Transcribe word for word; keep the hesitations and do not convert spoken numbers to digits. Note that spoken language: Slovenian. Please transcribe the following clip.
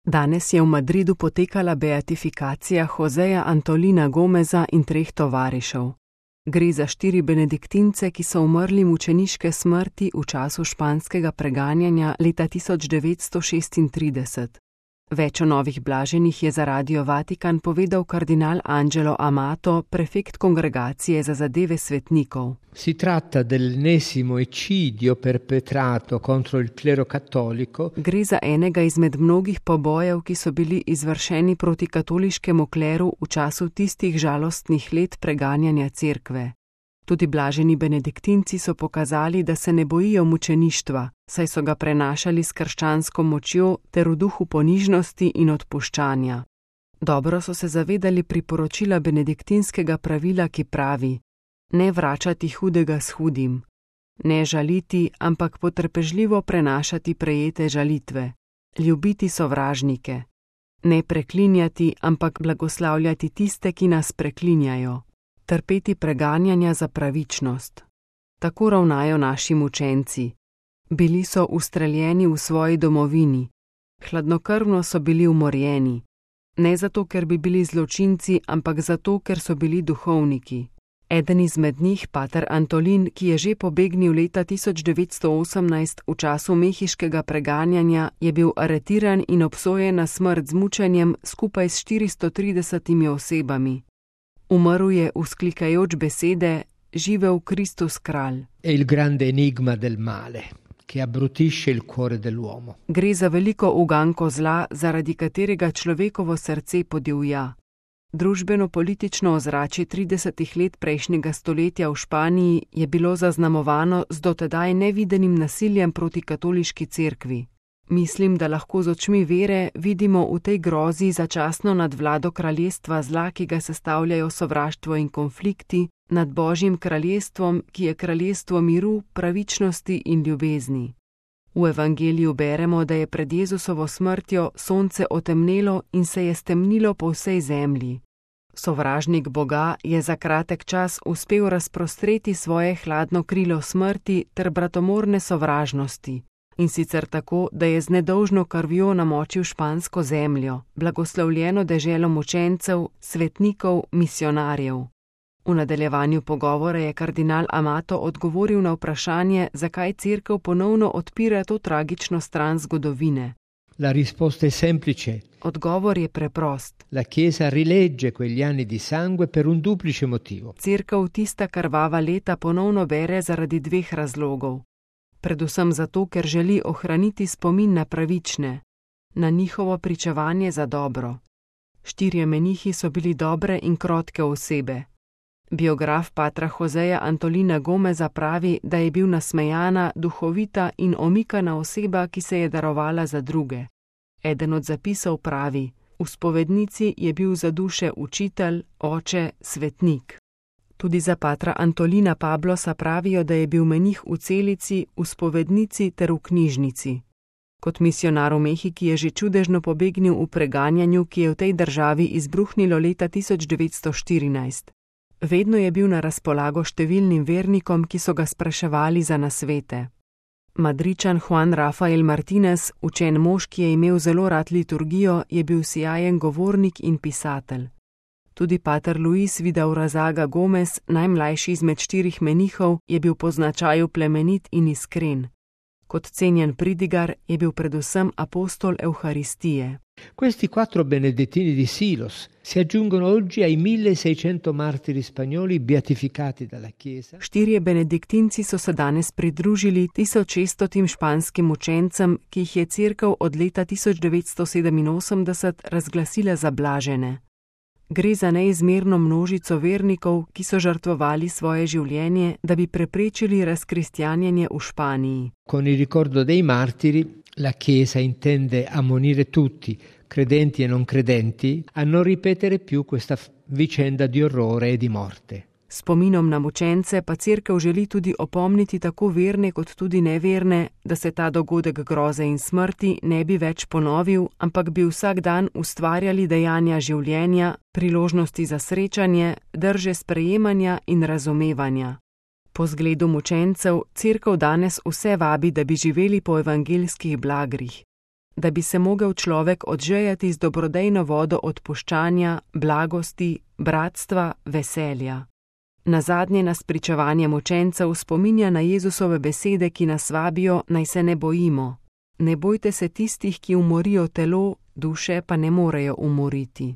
Danes je v Madridu potekala beatifikacija Joseja Antolina Gomeza in treh tovarišev. Gre za štiri benediktince, ki so umrli mučeniške smrti v času španskega preganjanja leta tisoč devetsto šestintrideset. Več o novih blaženih je za Radio Vatikan povedal kardinal Angelo Amato, prefekt kongregacije za zadeve svetnikov. Si tratta dell'ennesimo eccidio perpetrato contro il clero cattolico. Gre za enega izmed mnogih pobojev, ki so bili izvršeni proti katoliškemu kleru v času tistih žalostnih let preganjanja cerkve. Tudi blaženi benediktinci so pokazali, da se ne bojijo mučeništva, saj so ga prenašali s krščansko močjo ter v duhu ponižnosti in odpuščanja. Dobro so se zavedali priporočila benediktinskega pravila, ki pravi: ne vračati hudega s hudim, ne žaliti, ampak potrpežljivo prenašati prejete žalitve, ljubiti sovražnike, ne preklinjati, ampak blagoslavljati tiste, ki nas preklinjajo, trpeti preganjanja za pravičnost. Tako ravnajo naši mučenci. Bili so ustreljeni v svoji domovini, hladnokrvno so bili umorjeni, ne zato, ker bi bili zločinci, ampak zato, ker so bili duhovniki. Eden izmed njih, pater Antolin, ki je že pobegnil leta tisoč devetsto osemnajst v času mehiškega preganjanja, je bil aretiran in obsojen na smrt z mučenjem skupaj s štiristo tridesetimi osebami. Umrl je vzklikajoč besede: živel Kristus kralj. È il grande enigma del male, che abbrutisce il cuore dell'uomo. Gre za veliko uganko zla, zaradi katerega človekovo srce podivja. Družbeno-politično ozračje tridesetih let prejšnjega stoletja v Španiji je bilo zaznamovano z dotedaj nevidenim nasiljem proti katoliški cerkvi. Mislim, da lahko z očmi vere vidimo v tej grozi začasno nadvlado kraljestva zla, ki ga sestavljajo sovraštvo in konflikti, nad Božjim kraljestvom, ki je kraljestvo miru, pravičnosti in ljubezni. V evangeliju beremo, da je pred Jezusovo smrtjo sonce otemnelo in se je stemnilo po vsej zemlji. Sovražnik Boga je za kratek čas uspel razprostreti svoje hladno krilo smrti ter bratomorne sovražnosti. In sicer tako, da je z nedolžno krvjo namočil špansko zemljo, blagoslovljeno deželo mučencev, svetnikov, misionarjev. V nadaljevanju pogovora je kardinal Amato odgovoril na vprašanje, zakaj cerkev ponovno odpira to tragično stran zgodovine. La risposta è semplice. Odgovor je preprost. La Chiesa rilegge quegli anni di sangue per un duplice motivo. Cerkev tista krvava leta ponovno bere zaradi dveh razlogov. Predvsem zato, ker želi ohraniti spomin na pravične, na njihovo pričevanje za dobro. Štirje menihi so bili dobre in krotke osebe. Biograf patra Joseja Antolina Gomeza pravi, da je bil nasmejana, duhovita in omikana oseba, ki se je darovala za druge. Eden od zapisov pravi: v spovednici je bil za duše učitelj, oče, svetnik. Tudi za patra Antolina Pablosa pravijo, da je bil menih v celici, v spovednici ter v knjižnici. Kot misionar v Mehiki je že čudežno pobegnil v preganjanju, ki je v tej državi izbruhnilo leta tisoč devetsto štirinajst. Vedno je bil na razpolago številnim vernikom, ki so ga spraševali za nasvete. Madričan Juan Rafael Martinez, učen mož, ki je imel zelo rad liturgijo, je bil sijajen govornik in pisatelj. Tudi pater Luis Vidaurrazaga Gomez, najmlajši izmed štirih menihov, je bil po značaju plemenit in iskren. Kot cenjen pridigar je bil predvsem apostol Evharistije. Questi quattro benedettini di Silos si aggiungono oggi ai milleseicento martiri spagnoli beatificati dalla Chiesa. Štirje benediktinci so se danes pridružili tisoč šeststotim španskim učencem, ki jih je cerkev od leta tisoč devetsto sedeminosemdeset razglasila za blažene. Gre za neizmerno množico vernikov, ki so žrtvovali svoje življenje, da bi preprečili razkristjanjenje v Španiji. Con il ricordo dei martiri, la Chiesa intende ammonire tutti, credenti e non credenti, a non ripetere più questa vicenda di orrore e di morte. Spominom na mučence pa cerkev želi tudi opomniti tako verne kot tudi neverne, da se ta dogodek groze in smrti ne bi več ponovil, ampak bi vsak dan ustvarjali dejanja življenja, priložnosti za srečanje, drže sprejemanja in razumevanja. Po zgledu mučencev cerkev danes vse vabi, da bi živeli po evangeljskih blagrih. da bi se mogel človek odžejati z dobrodejno vodo odpuščanja, blagosti, bratstva, veselja. Nazadnje nas pričevanje mučencev spominja na Jezusove besede, ki nas vabijo, naj se ne bojimo. Ne bojte se tistih, ki umorijo telo, duše pa ne morejo umoriti.